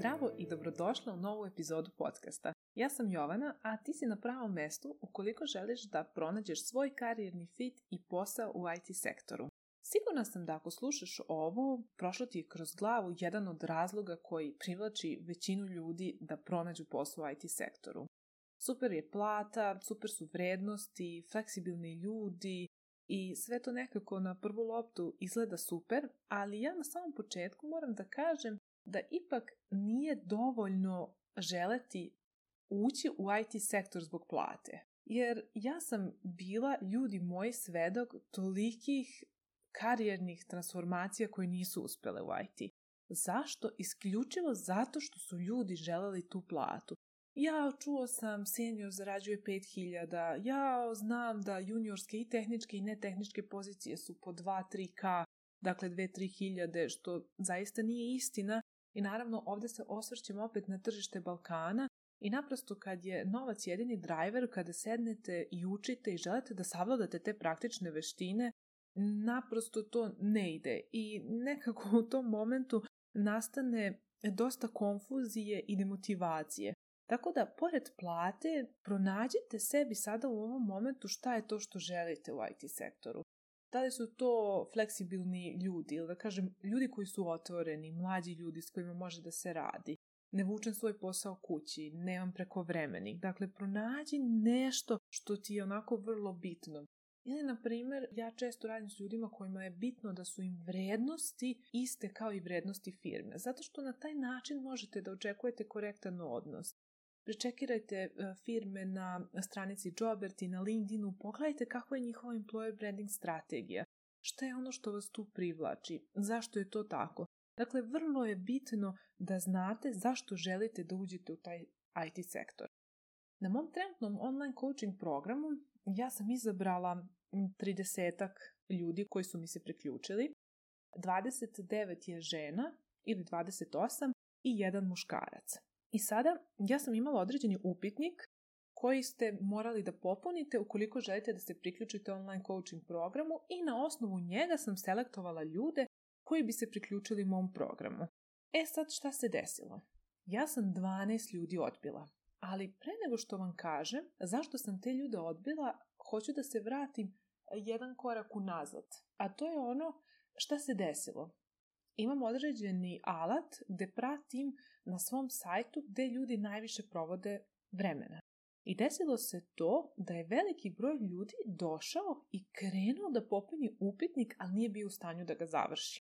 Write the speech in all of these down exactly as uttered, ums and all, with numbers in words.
Zdravo i dobrodošla u novu epizodu podcasta. Ja sam Jovana, a ti si na pravom mestu ukoliko želiš da pronađeš svoj karijerni fit i posao u I T sektoru. Sigurna sam da ako slušaš ovo, prošlo ti je kroz glavu jedan od razloga koji privlači većinu ljudi da pronađu posao u I T sektoru. Super je plata, super su vrednosti, fleksibilni ljudi i sve to nekako na prvu loptu izgleda super, ali ja na samom početku moram da kažem da ipak nije dovoljno želeti ući u I T sektor zbog plate. Jer ja sam bila, ljudi moji, svedok tolikih karijernih transformacija koje nisu uspjele u I T. Zašto? Isključivo zato što su ljudi želeli tu platu. Ja čuo sam senior zarađuje pet hiljada, ja znam da juniorske i tehničke i netehničke pozicije su po dva do tri ka, dakle dve do tri hiljade, što zaista nije istina. I naravno ovdje se osvrćemo opet na tržište Balkana i naprosto kad je novac jedini driver, kada sednete i učite i želite da savladate te praktične veštine, naprosto to ne ide i nekako u tom momentu nastane dosta konfuzije i demotivacije. Tako da, pored plate, pronađite sebi sada u ovom momentu šta je to što želite u I T sektoru. Da li su to fleksibilni ljudi, ili da kažem, ljudi koji su otvoreni, mlađi ljudi s kojima može da se radi. Ne vučem svoj posao kući, nemam prekovremenih. Dakle, pronađi nešto što ti je onako vrlo bitno. Ili, na primjer, ja često radim s ljudima kojima je bitno da su im vrednosti iste kao i vrednosti firme. Zato što na taj način možete da očekujete korektan odnos. Prečekirajte firme na stranici Jobert i na LinkedInu, pogledajte kakva je njihova employer branding strategija. Šta je ono što vas tu privlači? Zašto je to tako? Dakle, vrlo je bitno da znate zašto želite da uđete u taj I T sektor. Na mom trenutnom online coaching programu ja sam izabrala tridesetak ljudi koji su mi se priključili. dvadeset devet je žena ili dvadeset osam i jedan muškarac. I sada ja sam imala određeni upitnik koji ste morali da popunite ukoliko želite da se priključite online coaching programu i na osnovu njega sam selektovala ljude koji bi se priključili mom programu. E sad šta se desilo? Ja sam dvanaest ljudi odbila, ali pre nego što vam kažem zašto sam te ljude odbila, hoću da se vratim jedan korak unazad. A to je ono šta se desilo. Imam određeni alat gde pratim na svom sajtu gde ljudi najviše provode vremena. I desilo se to da je veliki broj ljudi došao i krenuo da popuni upitnik, ali nije bio u stanju da ga završi.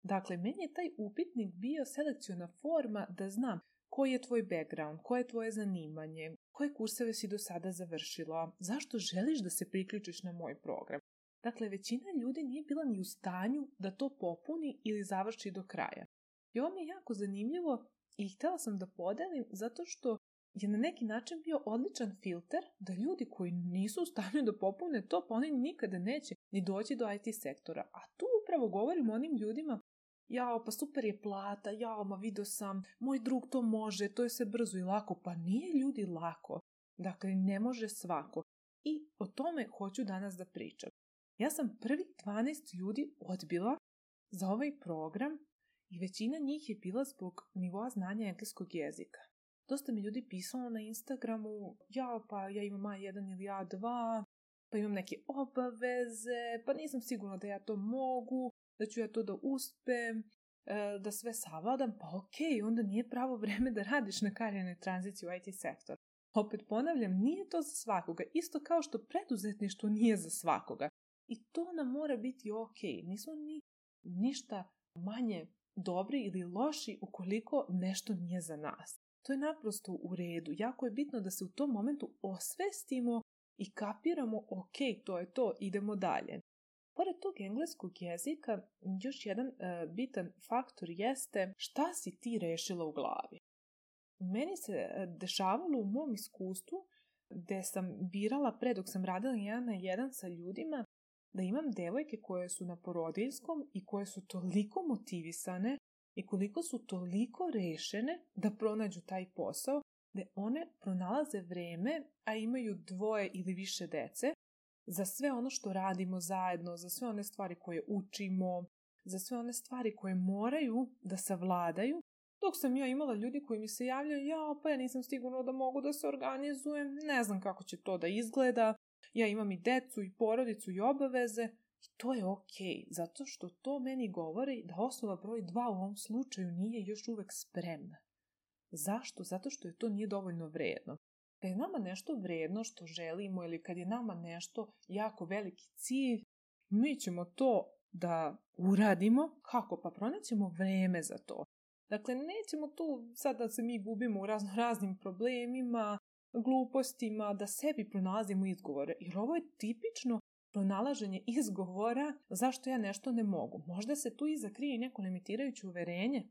Dakle, meni je taj upitnik bio selekciona forma da znam koji je tvoj background, koje je tvoje zanimanje, koje kurseve si do sada završila, zašto želiš da se priključiš na moj program. Dakle, većina ljudi nije bila ni u stanju da to popuni ili završi do kraja. I ovo mi je jako zanimljivo i htjela sam da podelim zato što je na neki način bio odličan filter da ljudi koji nisu u stanju da popune to, pa oni nikada neće ni doći do I T sektora. A tu upravo govorim o onim ljudima, jao, pa super je plata, jao, ma vidio sam, moj drug to može, to je sve brzo i lako. Pa nije, ljudi, lako. Dakle, ne može svako. I o tome hoću danas da pričam. Ja sam prvih dvanaest ljudi odbila za ovaj program i većina njih je bila zbog nivoa znanja engleskog jezika. Dosta mi ljudi pisalo na Instagramu, ja pa ja imam A jedan ili A dva, pa imam neke obaveze, pa nisam sigurna da ja to mogu, da ću ja to da uspem, da sve savladam, pa okej, onda nije pravo vreme da radiš na karijernoj tranziciji u I T sektor. Opet ponavljam, nije to za svakoga, isto kao što preduzetništvo nije za svakoga. I to nam mora biti okej. Nismo ni ništa manje dobri ili loši ukoliko nešto nije za nas. To je naprosto u redu. Jako je bitno da se u tom momentu osvestimo i kapiramo, okej, to je to, idemo dalje. Pored tog engleskog jezika, još jedan uh, bitan faktor jeste šta si ti rešila u glavi. Meni se dešavalo u mom iskustvu gde sam birala pre dok sam radila jedan na jedan sa ljudima da imam devojke koje su na porodiljskom i koje su toliko motivisane i koliko su toliko rešene da pronađu taj posao, da one pronalaze vreme, a imaju dvoje ili više dece, za sve ono što radimo zajedno, za sve one stvari koje učimo, za sve one stvari koje moraju da savladaju Dok sam ja imala ljudi koji mi se javljaju, ja pa ja nisam sigurna da mogu da se organizujem, ne znam kako će to da izgleda, ja imam i decu i porodicu i obaveze. I to je okej, zato što to meni govori da osoba broj dva u ovom slučaju nije još uvek spremna. Zašto? Zato što je to nije dovoljno vredno. Kad je nama nešto vredno što želimo ili kad je nama nešto jako veliki cilj, mi ćemo to da uradimo. Kako? Pa pronaćemo vreme za to. Dakle, nećemo tu sad da se mi gubimo u razno raznim problemima, glupostima, da sebi pronalazimo izgovore. Jer ovo je tipično pronalaženje izgovora zašto ja nešto ne mogu. Možda se tu iza krije neko limitirajuće uverenje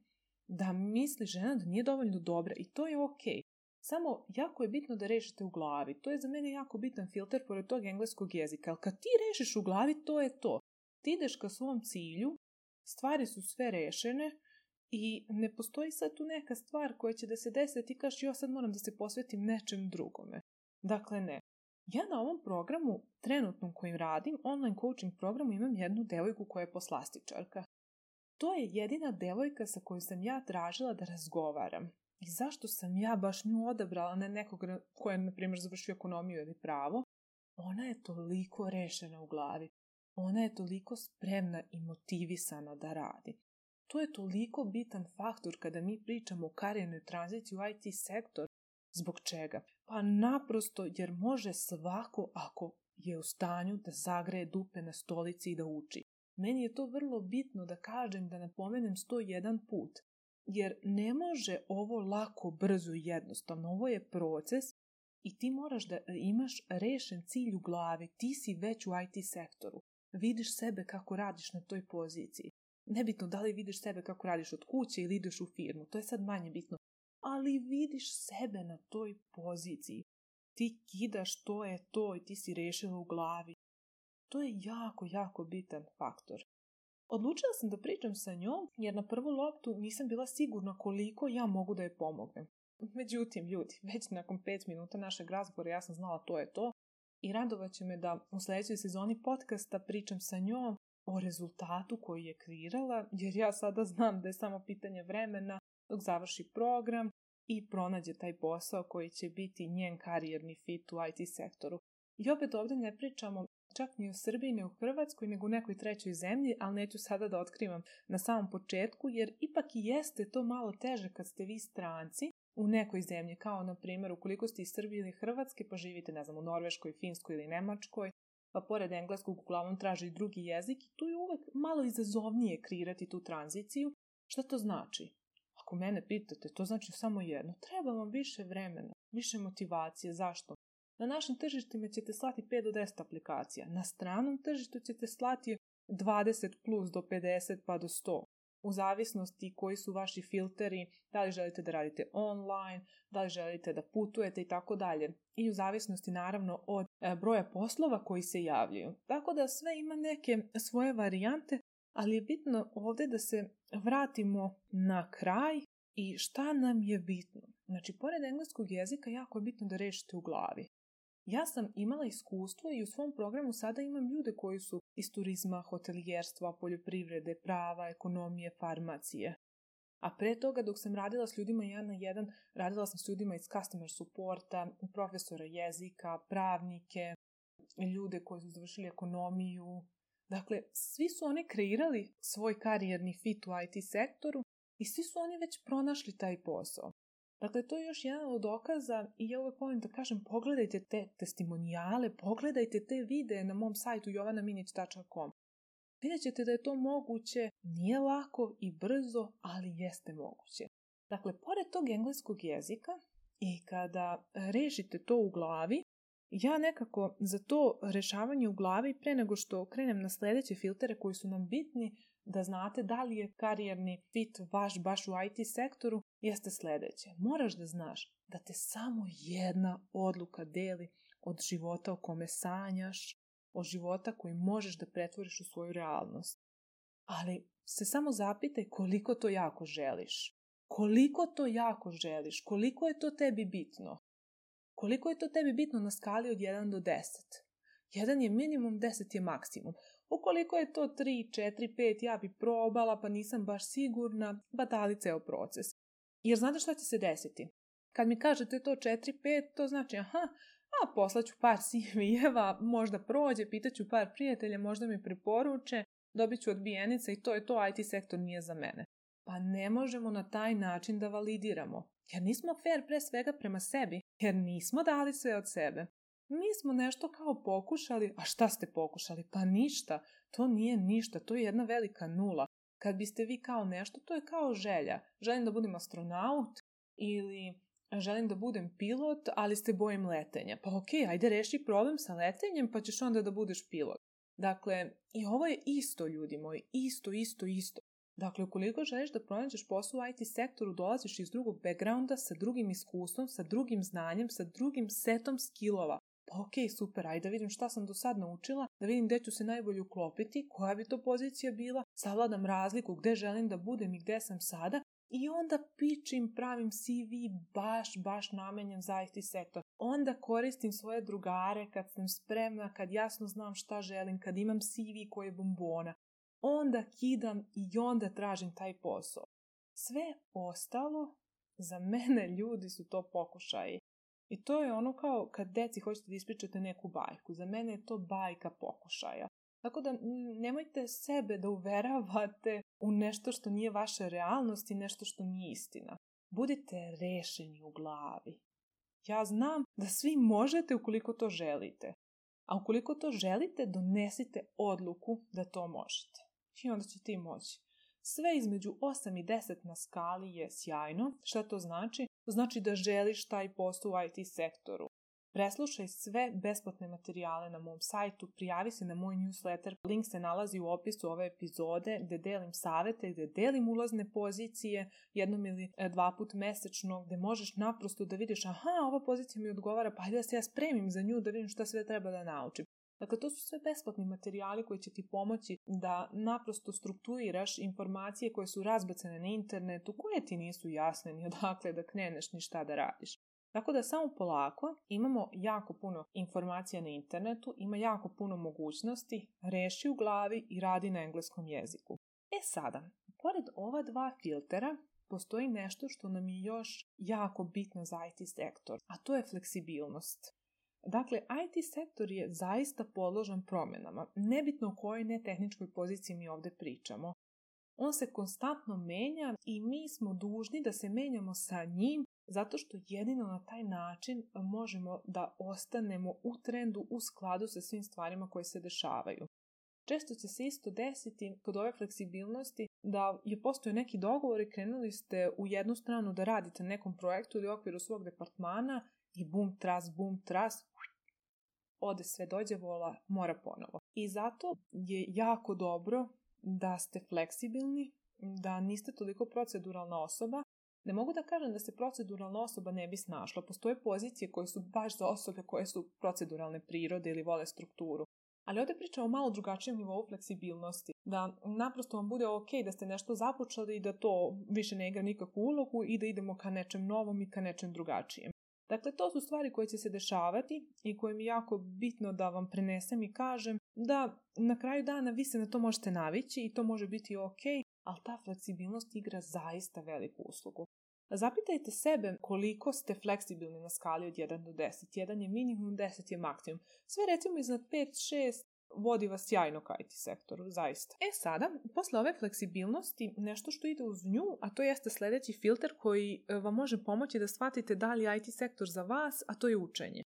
da misli žena da nije dovoljno dobra i to je okej. Samo jako je bitno da rešite u glavi. To je za mene jako bitan filter pored tog engleskog jezika. Ali kad ti rešiš u glavi, to je to. Ti ideš ka svom cilju, stvari su sve rešene i ne postoji sad tu neka stvar koja će da se desi da ti kažeš ja sad moram da se posvetim nečem drugome. Dakle, ne. Ja na ovom programu, trenutnom kojim radim, online coaching programu, imam jednu devojku koja je poslastičarka. To je jedina devojka sa kojom sam ja tražila da razgovaram. I zašto sam ja baš nju odabrala, ne nekog koja je, na primjer, završio ekonomiju ili pravo? Ona je toliko rešena u glavi. Ona je toliko spremna i motivisana da radi. To je toliko bitan faktor kada mi pričamo o karijernoj tranziciji u I T sektor. Zbog čega? Pa naprosto jer može svako ako je u stanju da zagreje dupe na stolici i da uči. Meni je to vrlo bitno da kažem, da napomenem sto jedan put. Jer ne može ovo lako, brzo i jednostavno. Ovo je proces i ti moraš da imaš rešen cilj u glavi. Ti si već u I T sektoru. Vidiš sebe kako radiš na toj poziciji. Nebitno da li vidiš sebe kako radiš od kuće ili ideš u firmu. To je sad manje bitno. Ali vidiš sebe na toj poziciji. Ti kidaš, to je to i ti si rešila u glavi. To je jako, jako bitan faktor. Odlučila sam da pričam sa njom jer na prvu loptu nisam bila sigurna koliko ja mogu da je pomognem. Međutim, ljudi, već nakon pet minuta našeg razgovora ja sam znala to je to i radovat će me da u sljedećoj sezoni podcasta pričam sa njom o rezultatu koji je kreirala, jer ja sada znam da je samo pitanje vremena dok završi program i pronađe taj posao koji će biti njen karijerni fit u I T sektoru. I opet ovdje ne pričamo čak ni u Srbiji, ni u Hrvatskoj, nego u nekoj trećoj zemlji, ali neću sada da otkrivam na samom početku, jer ipak i jeste to malo teže kad ste vi stranci u nekoj zemlji, kao na primjer ukoliko ste iz Srbije ili Hrvatske, pa živite, ne znam, u Norveškoj, Finskoj ili Nemačkoj, pa pored engleskog uglavnom traži i drugi jezik i tu je uvek malo izazovnije kreirati tu tranziciju. Šta to znači? Ako mene pitate, to znači samo jedno. Treba vam više vremena, više motivacije. Zašto? Na našim tržištima ćete slati pet do deset aplikacija. Na stranom tržištu ćete slati dvadeset plus do pedeset pa do sto. U zavisnosti koji su vaši filteri, da li želite da radite online, da li želite da putujete i tako dalje. I u zavisnosti naravno od broja poslova koji se javljaju. Tako da sve ima neke svoje varijante, ali je bitno ovdje da se vratimo na kraj i šta nam je bitno. Znači, pored engleskog jezika jako je bitno da rešite u glavi. Ja sam imala iskustvo i u svom programu sada imam ljude koji su iz turizma, hotelijerstva, poljoprivrede, prava, ekonomije, farmacije. A pre toga dok sam radila s ljudima jedan na jedan, radila sam s ljudima iz customer supporta, profesora jezika, pravnike, ljude koji su završili ekonomiju. Dakle, svi su oni kreirali svoj karijerni fit u I T sektoru i svi su oni već pronašli taj posao. Dakle, to je još jedan od dokaza i ja uvek volim da kažem, pogledajte te testimonijale, pogledajte te videe na mom sajtu jovana minić tačka com. Vidjet ćete da je to moguće, nije lako i brzo, ali jeste moguće. Dakle, pored tog engleskog jezika i kada rešite to u glavi, ja nekako za to rešavanje u glavi, pre nego što krenem na sljedeće filtere koji su nam bitni, da znate da li je karijerni fit vaš baš u I T sektoru, jeste sljedeće. Moraš da znaš da te samo jedna odluka deli od života o kome sanjaš, od života koji možeš da pretvoriš u svoju realnost. Ali se samo zapitaj koliko to jako želiš. Koliko to jako želiš, koliko je to tebi bitno. Koliko je to tebi bitno na skali od jedan do deset. jedan je minimum, deset je maksimum. Ukoliko je to tri, četiri, pet, ja bi probala, pa nisam baš sigurna, batali ceo proces. Jer znate šta će se desiti? Kad mi kažete to četiri pet, to znači aha, a poslaću par C V-eva, možda prođe, pitaću par prijatelja, možda mi preporuče, dobit ću odbijenica i to je to, I T sektor nije za mene. Pa ne možemo na taj način da validiramo. Jer nismo fair pre svega prema sebi, jer nismo dali sve od sebe. Mi smo nešto kao pokušali, a šta ste pokušali? Pa ništa, to nije ništa, to je jedna velika nula. Kad biste vi kao nešto, to je kao želja. Želim da budem astronaut ili želim da budem pilot, ali se bojim letenja. Pa okej, okay, ajde reši problem sa letenjem pa ćeš onda da budeš pilot. Dakle, i ovo je isto, ljudi moji, isto, isto, isto. Dakle, ukoliko želiš da pronađeš posao u I T sektoru, dolaziš iz drugog backgrounda, sa drugim iskustvom, sa drugim znanjem, sa drugim setom skillova. Pa okej, okay, super, ajde da vidim šta sam do sad naučila, da vidim gde ću se najbolje uklopiti, koja bi to pozicija bila, savladam razliku gde želim da budem i gde sam sada i onda pičim, pravim C V baš, baš namenjen za I T sektor. Onda koristim svoje drugare kad sam spremna, kad jasno znam šta želim, kad imam C V koji je bombona. Onda kidam i onda tražim taj posao. Sve ostalo, za mene ljudi su to pokušaji. I to je ono kao kad deci hoćete da ispričate neku bajku. Za mene je to bajka pokušaja. Tako da nemojte sebe da uveravate u nešto što nije vaša realnost i nešto što nije istina. Budite rešeni u glavi. Ja znam da svi možete ukoliko to želite. A ukoliko to želite, donesite odluku da to možete. I onda ćete i moći. Sve između osam i deset na skali je sjajno. Šta to znači? To znači da želiš taj posao u I T sektoru. Preslušaj sve besplatne materijale na mom sajtu, prijavi se na moj newsletter, link se nalazi u opisu ove epizode gde delim savete, gde delim ulazne pozicije jednom ili dva put mesečno, gde možeš naprosto da vidiš aha, ova pozicija mi odgovara, pa ajde da se ja spremim za nju, da vidim šta sve treba da naučim. Dakle, to su sve besplatni materijali koji će ti pomoći da naprosto strukturiraš informacije koje su razbacane na internetu, koje ti nisu jasne ni odakle da kreneš ni šta da radiš. Tako da samo polako, imamo jako puno informacija na internetu, ima jako puno mogućnosti, reši u glavi i radi na engleskom jeziku. E sada, pored ova dva filtera, postoji nešto što nam je još jako bitno za I T sektor, a to je fleksibilnost. Dakle, I T sektor je zaista podložan promjenama, nebitno o kojoj netehničkoj poziciji mi ovdje pričamo. On se konstantno menja i mi smo dužni da se menjamo sa njim, zato što jedino na taj način možemo da ostanemo u trendu u skladu sa svim stvarima koje se dešavaju. Često će se isto desiti kod ove fleksibilnosti da je postojao neki dogovor i krenuli ste u jednu stranu da radite na nekom projektu ili u okviru svog departmana i bum, tras, bum, tras, ode sve dođe vola, mora ponovo. I zato je jako dobro da ste fleksibilni, da niste toliko proceduralna osoba. Ne mogu da kažem da se proceduralna osoba ne bi snašla. Postoje pozicije koje su baš za osobe koje su proceduralne prirode ili vole strukturu. Ali ovdje pričamo o malo drugačijem nivou fleksibilnosti. Da naprosto vam bude ok da ste nešto započeli i da to više ne igra nikakvu ulogu i da idemo ka nečem novom i ka nečem drugačijem. Dakle, to su stvari koje će se dešavati i koje mi je jako bitno da vam prenesem i kažem da na kraju dana vi se na to možete navići i to može biti ok, ali ta fleksibilnost igra zaista veliku uslugu. Zapitajte sebe koliko ste fleksibilni na skali od jedan do deset. jedan je minimum, deset je maksimum. Sve recimo iznad pet šest vodi vas sjajno ka I T sektoru, zaista. E sada, posle ove fleksibilnosti, nešto što ide uz nju, a to jeste sljedeći filter koji vam može pomoći da shvatite da li je I T sektor za vas, a to je učenje.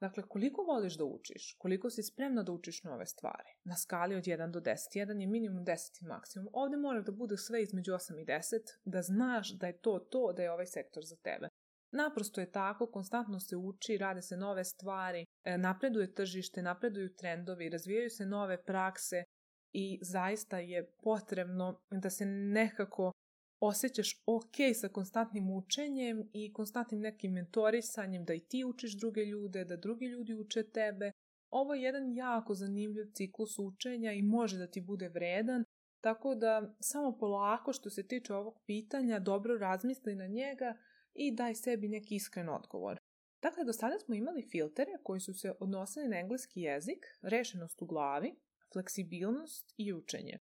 Dakle, koliko voliš da učiš, koliko si spremna da učiš nove stvari, na skali od jedan do deset. jedan je minimum, deset je maksimum. Ovdje mora da bude sve između osam i deset, da znaš da je to to, da je ovaj sektor za tebe. Naprosto je tako, konstantno se uči, rade se nove stvari, napreduje tržište, napreduju trendovi, razvijaju se nove prakse i zaista je potrebno da se nekako osjećaš ok sa konstantnim učenjem i konstantnim nekim mentorisanjem, da i ti učiš druge ljude, da drugi ljudi uče tebe. Ovo je jedan jako zanimljiv ciklus učenja i može da ti bude vredan, tako da samo polako što se tiče ovog pitanja dobro razmisli na njega i daj sebi neki iskren odgovor. Dakle, do sada smo imali filtere koji su se odnosili na engleski jezik, rešenost u glavi, fleksibilnost i učenje.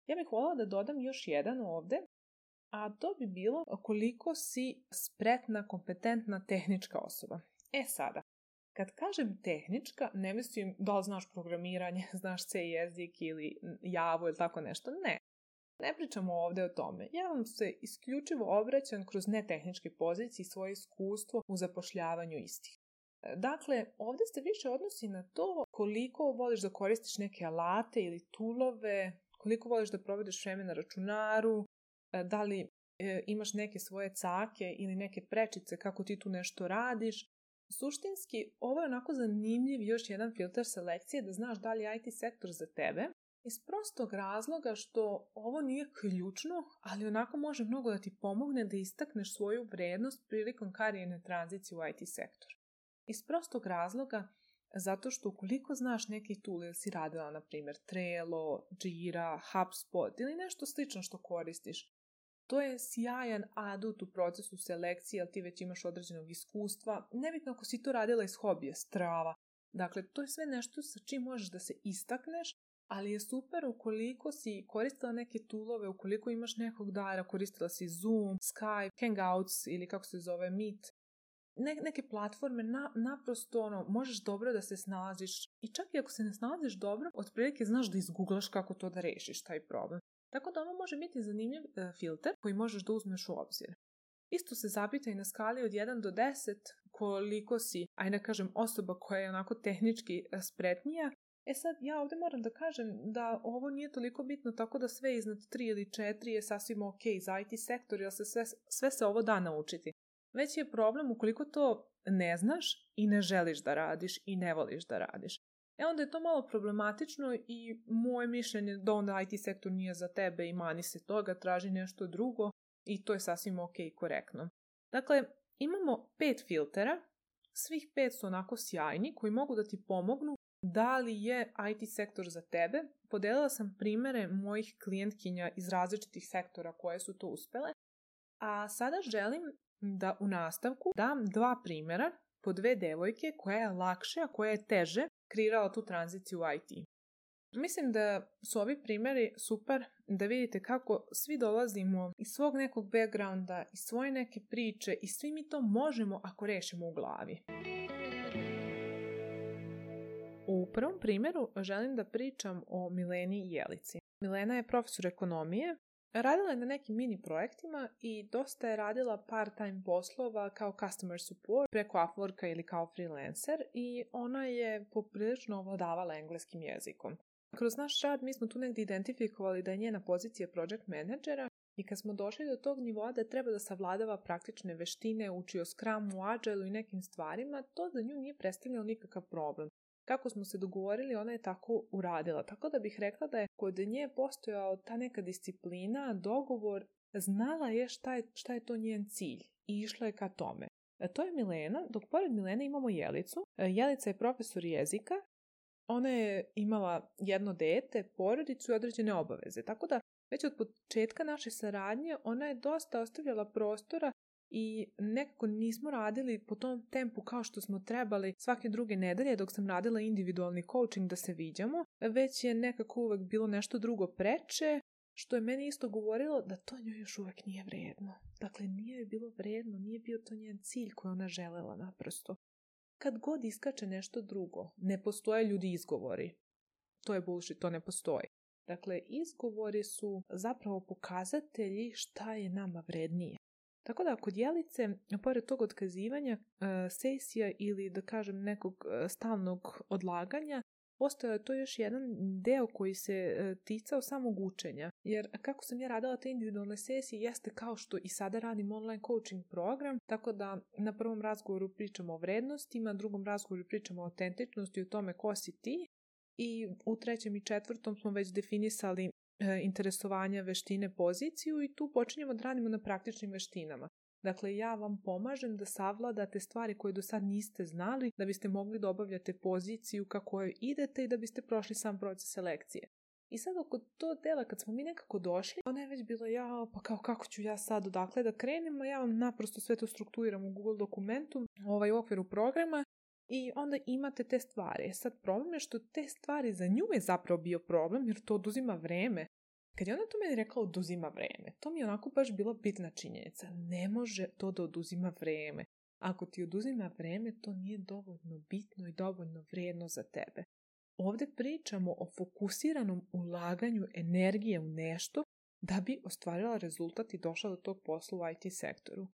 Ja bih voljela da dodam još jedan ovde, a to bi bilo koliko si spretna, kompetentna tehnička osoba. E sada, kad kažem tehnička, ne mislim da li znaš programiranje, znaš C jezik ili Javu ili tako nešto, ne. Ne pričamo ovdje o tome. Ja vam se isključivo obraćam kroz netehničke pozicije i svoje iskustvo u zapošljavanju istih. Dakle, ovdje se više odnosi na to koliko voliš da koristiš neke alate ili toolove, koliko voliš da provedeš vreme na računaru, da li e, imaš neke svoje cake ili neke prečice kako ti tu nešto radiš. Suštinski, ovo je onako zanimljiv još jedan filter selekcije da znaš da li je I T sektor za tebe, iz prostog razloga što ovo nije ključno, ali onako može mnogo da ti pomogne da istakneš svoju vrednost prilikom karijerne tranzicije u I T sektor. Iz prostog razloga, zato što ukoliko znaš neki tool ili si radila, na primjer, Trello, Jira, HubSpot ili nešto slično što koristiš, to je sjajan adut u procesu selekcije, jer ti već imaš određenog iskustva. Nebitno ako si to radila iz hobija, strava. Dakle, to je sve nešto sa čim možeš da se istakneš, ali je super ukoliko si koristila neke toolove, ukoliko imaš nekog dara, koristila si Zoom, Skype, Hangouts ili kako se zove Meet. Ne, neke platforme na, naprosto ono, možeš dobro da se snalaziš i čak i ako se ne snalaziš dobro, otprilike znaš da izgooglaš kako to da rešiš taj problem. Tako da ovo može biti zanimljiv e, filter koji možeš da uzmeš u obzir. Isto se zapitaj na skali od jedan do deset koliko si, ajde kažem, osoba koja je onako tehnički spretnija. E sad, ja ovdje moram da kažem da ovo nije toliko bitno, tako da sve iznad tri ili četiri je sasvim ok za I T sektor, jer se sve, sve se ovo da naučiti. Već je problem ukoliko to ne znaš i ne želiš da radiš i ne voliš da radiš. E onda je to malo problematično i moje mišljenje da onda I T sektor nije za tebe i mani se toga, traži nešto drugo i to je sasvim ok i korektno. Dakle, imamo pet filtera, svih pet su onako sjajni koji mogu da ti pomognu da li je I T sektor za tebe. Podelila sam primere mojih klijentkinja iz različitih sektora koje su to uspele, a sada želim da u nastavku dam dva primjera po dve devojke koja je lakše, a koja je teže kreirala tu tranziciju u I T. Mislim da su ovi primjeri super da vidite kako svi dolazimo iz svog nekog backgrounda, iz svoje neke priče i svi mi to možemo ako rešimo u glavi. U prvom primjeru želim da pričam o Mileni Jelici. Milena je profesor ekonomije. Radila je na nekim mini projektima i dosta je radila part-time poslova kao customer support preko Upworka ili kao freelancer i ona je poprilično ovladavala engleskim jezikom. Kroz naš rad mi smo tu negdje identifikovali da je njena pozicija project managera i kad smo došli do tog nivoa da treba da savladava praktične veštine, uči o Scrumu, Agileu i nekim stvarima, to za nju nije predstavljalo nikakav problem. Kako smo se dogovorili, ona je tako uradila. Tako da bih rekla da je kod nje postojao ta neka disciplina, dogovor, znala je šta je, šta je to njen cilj i išla je ka tome. To je Milena, dok pored Milene imamo Jelicu. Jelica je profesor jezika. Ona je imala jedno dete, porodicu i određene obaveze. Tako da već od početka naše saradnje ona je dosta ostavljala prostora i nekako nismo radili po tom tempu kao što smo trebali svake druge nedelje dok sam radila individualni coaching da se viđamo, već je nekako uvek bilo nešto drugo preče, što je meni isto govorilo da to njoj još uvek nije vredno. Dakle, nije joj bilo vredno, nije bio to njen cilj koji ona želela naprosto. Kad god iskače nešto drugo, ne postoje ljudi izgovori. To je bullshit, to ne postoji. Dakle, izgovori su zapravo pokazatelji šta je nama vrednije. Tako da kod Jelice, pored tog otkazivanja sesija ili da kažem nekog stalnog odlaganja, postojao je to još jedan deo koji se ticao samog učenja. Jer kako sam ja radila te individualne sesije jeste kao što i sada radim online coaching program, tako da na prvom razgovoru pričamo o vrednostima, na drugom razgovoru pričamo o autentičnosti i o tome ko si ti i u trećem i četvrtom smo već definisali interesovanja, veštine, poziciju i tu počinjemo da radimo na praktičnim veštinama. Dakle, ja vam pomažem da savladate stvari koje do sad niste znali, da biste mogli da obavljate poziciju kako kojoj idete i da biste prošli sam proces selekcije. I sad oko to dela, kad smo mi nekako došli, ona je već bila, ja, pa kao kako ću ja sad odakle da krenem, a ja vam naprosto sve to strukturiram u Google dokumentu, ovaj u okviru programa, i onda imate te stvari. Sad problem je što te stvari za nju je zapravo bio problem, jer to oduzima vreme. Kad je ona to meni rekla oduzima vreme, to mi je onako baš bila bitna činjenica. Ne može to da oduzima vreme. Ako ti oduzima vreme, to nije dovoljno bitno i dovoljno vrijedno za tebe. Ovdje pričamo o fokusiranom ulaganju energije u nešto da bi ostvarila rezultat i došla do tog posla u I T sektoru.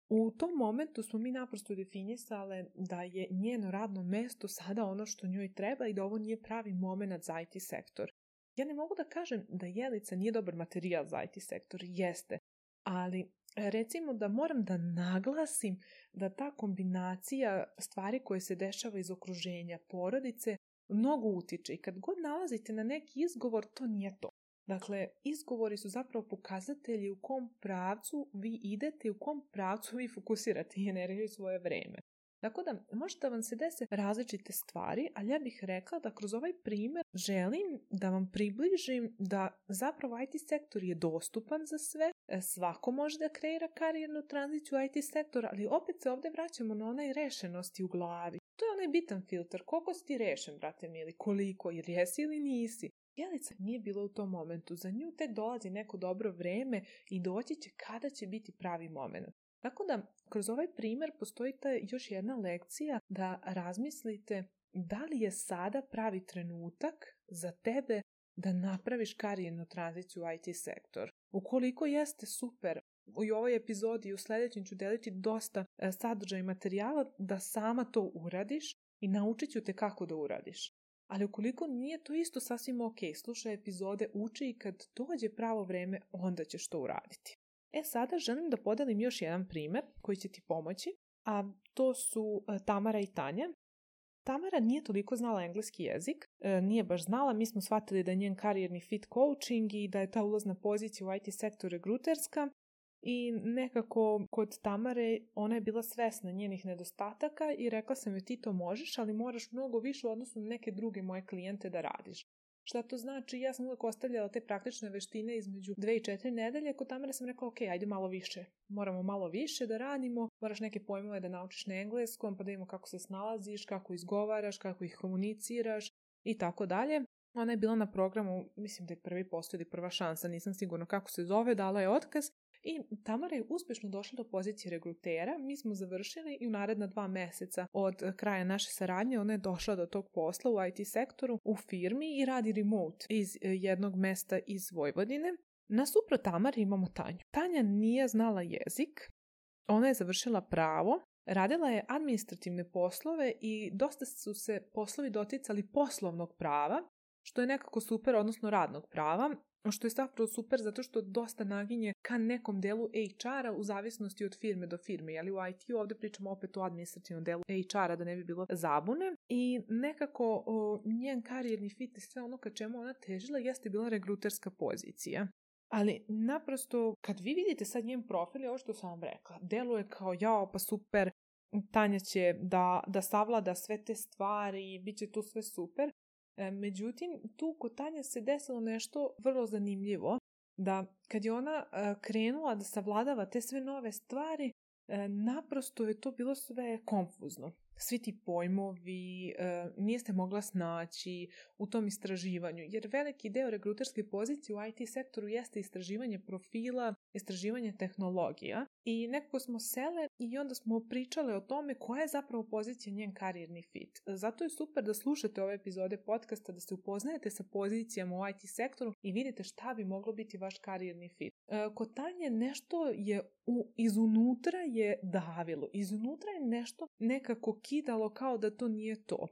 U tom momentu smo mi naprosto definisale da je njeno radno mesto sada ono što njoj treba i da ovo nije pravi moment za I T sektor. Ja ne mogu da kažem da Jelica nije dobar materijal za I T sektor, jeste, ali recimo da moram da naglasim da ta kombinacija stvari koje se dešava iz okruženja porodice mnogo utiče i kad god nalazite na neki izgovor, to nije to. Dakle, izgovori su zapravo pokazatelji u kom pravcu vi idete i u kom pravcu vi fokusirate energiju i svoje vreme. Tako da, može da vam se dese različite stvari, ali ja bih rekla da kroz ovaj primjer želim da vam približim da zapravo I T sektor je dostupan za sve, svako može da kreira karijernu tranziciju u I T sektor, ali opet se ovdje vraćamo na onaj rešenosti u glavi. To je onaj bitan filter, koliko si ti rešen, brate mili, koliko, jer jesi ili nisi. Jelica nije bila u tom momentu, za nju tek dolazi neko dobro vreme i doći će kada će biti pravi moment. Tako da, kroz ovaj primjer postoji ta još jedna lekcija da razmislite da li je sada pravi trenutak za tebe da napraviš karijernu tranziciju u I T sektor. Ukoliko jeste, super, u ovoj epizodi i u sljedećem ću deliti dosta sadržaja i materijala da sama to uradiš i naučit ću te kako da uradiš. Ali ukoliko nije, to isto sasvim ok, slušaj epizode, uči i kad dođe pravo vreme, onda ćeš to uraditi. E sada želim da podelim još jedan primjer koji će ti pomoći, a to su Tamara i Tanja. Tamara nije toliko znala engleski jezik, nije baš znala, mi smo shvatili da je njen karijerni fit coaching i da je ta ulazna pozicija u I T sektor regruterska i nekako kod Tamare ona je bila svesna njenih nedostataka i rekla sam joj ti to možeš, ali moraš mnogo više u odnosu na neke druge moje klijente da radiš. Šta to znači? Ja sam uvijek ostavljala te praktične veštine između dve i četiri nedelje. Kod Tamare sam rekla, ok, ajde malo više. Moramo malo više da radimo. Moraš neke pojmove da naučiš na engleskom, pa da vidimo kako se snalaziš, kako izgovaraš, kako ih komuniciraš i tako dalje. Ona je bila na programu, mislim da je prvi postoji ili prva šansa, nisam sigurna kako se zove, dala je otkaz. I Tamara je uspješno došla do pozicije regrutera. Mi smo završili i u naredna dva mjeseca od kraja naše saradnje ona je došla do tog posla u I T sektoru u firmi i radi remote iz jednog mjesta iz Vojvodine. Nasuprot Tamari imamo Tanju. Tanja nije znala jezik, ona je završila pravo, radila je administrativne poslove i dosta su se poslovi doticali poslovnog prava, što je nekako super, odnosno radnog prava, što je zapravo super zato što dosta naginje ka nekom delu H R-a u zavisnosti od firme do firme. Jeli u I T-u ovdje pričamo opet o administrativnom delu H R-a da ne bi bilo zabune. I nekako o, njen karijerni fit i sve ono ka čemu ona težila jeste bila regruterska pozicija. Ali naprosto kad vi vidite sad njen profil je ovo što sam vam rekla. Deluje kao jao pa super, Tanja će da, da savlada sve te stvari i bit će tu sve super. Međutim, tu kod Tanje se desilo nešto vrlo zanimljivo, da kad je ona krenula da savladava te sve nove stvari, naprosto je to bilo sve konfuzno. Svi ti pojmovi, nije se mogla snaći u tom istraživanju, jer veliki deo regruterske pozicije u I T sektoru jeste istraživanje profila, istraživanje tehnologija i nekako smo sele i onda smo pričale o tome koja je zapravo pozicija njen karijerni fit. Zato je super da slušate ove epizode podcasta, da se upoznajete sa pozicijama u I T sektoru i vidite šta bi moglo biti vaš karijerni fit. Kod Tanje nešto je u, izunutra je davilo, izunutra je nešto nekako kidalo kao da to nije to.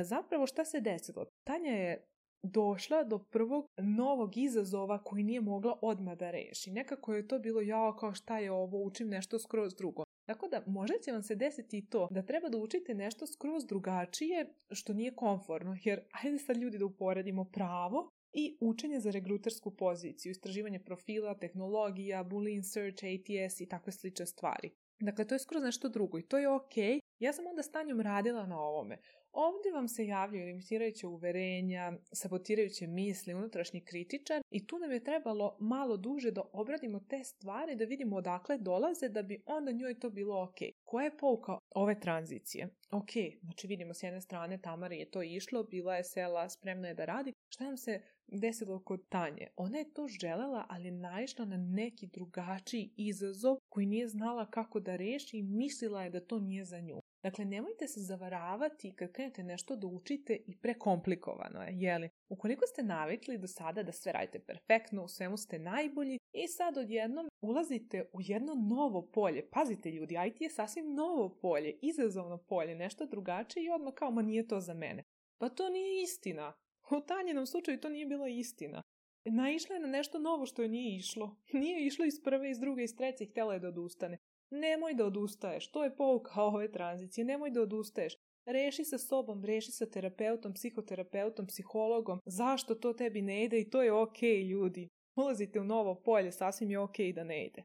Zapravo šta se desilo? Tanja je došla do prvog novog izazova koji nije mogla odmah da reši. Nekako je to bilo jao kao šta je ovo, učim nešto skroz drugo. Tako da možda će vam se desiti i to da treba da učite nešto skroz drugačije što nije komforno. Jer ajde sad ljudi da uporedimo pravo i učenje za regrutersku poziciju, istraživanje profila, tehnologija, Boolean search, A T S i takve slične stvari. Dakle, to je skroz nešto drugo i to je ok. Ja sam onda s Tanjom radila na ovome. Ovdje vam se javljaju limitirajuće uverenja, sabotirajuće misli, unutrašnji kritičar i tu nam je trebalo malo duže da obradimo te stvari, da vidimo odakle dolaze, da bi onda njoj to bilo ok. Koja je pouka ove tranzicije? Ok, znači vidimo s jedne strane Tamari je to išlo, bila je sela, spremna je da radi. Šta nam se desilo kod Tanje? Ona je to želela, ali naišla na neki drugačiji izazov koji nije znala kako da reši i mislila je da to nije za nju. Dakle, nemojte se zavaravati kad krenete nešto da učite i prekomplikovano je, jeli? Ukoliko ste navikli do sada da sve radite perfektno, u svemu ste najbolji i sad odjednom ulazite u jedno novo polje. Pazite ljudi, I T je sasvim novo polje, izazovno polje, nešto drugačije i odmah kao, ma nije to za mene. Pa to nije istina. U Tanjinom slučaju to nije bila istina. Naišla je na nešto novo što joj nije išlo. Nije išlo iz prve, iz druge, iz treće i htjela je da odustane. Nemoj da odustaješ, to je pouka ove tranzicije, nemoj da odustaješ. Reši sa sobom, reši sa terapeutom, psihoterapeutom, psihologom, zašto to tebi ne ide i to je ok, ljudi. Ulazite u novo polje, sasvim je ok da ne ide.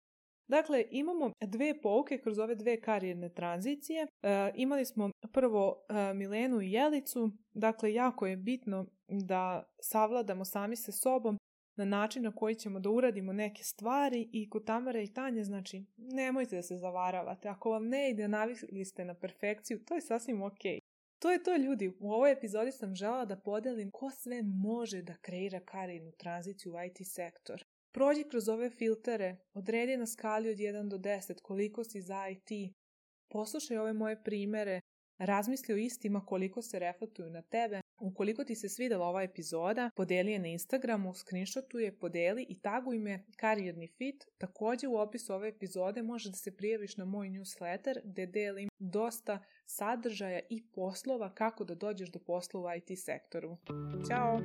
Dakle, imamo dve pouke kroz ove dve karijerne tranzicije. E, imali smo prvo e, Milenu i Jelicu, dakle, jako je bitno da savladamo sami sa sobom na način na koji ćemo da uradimo neke stvari i kod Tamare i Tanje, znači, nemojte da se zavaravate. Ako vam ne ide, navikli ste na perfekciju, to je sasvim ok. To je to, ljudi. U ovoj epizodi sam želela da podelim ko sve može da kreira karijernu tranziciju u I T sektor. Prođi kroz ove filtere, odredi na skali od jedan do deset koliko si za I T, poslušaj ove moje primere, razmisli o istima koliko se reflektuju na tebe. Ukoliko ti se svidela ova epizoda, podeli je na Instagramu, screenshotuje, podeli i taguj me Karijerni fit. Također u opisu ove epizode možeš da se prijaviš na moj newsletter gdje delim dosta sadržaja i poslova kako da dođeš do posla u I T sektoru. Ćao!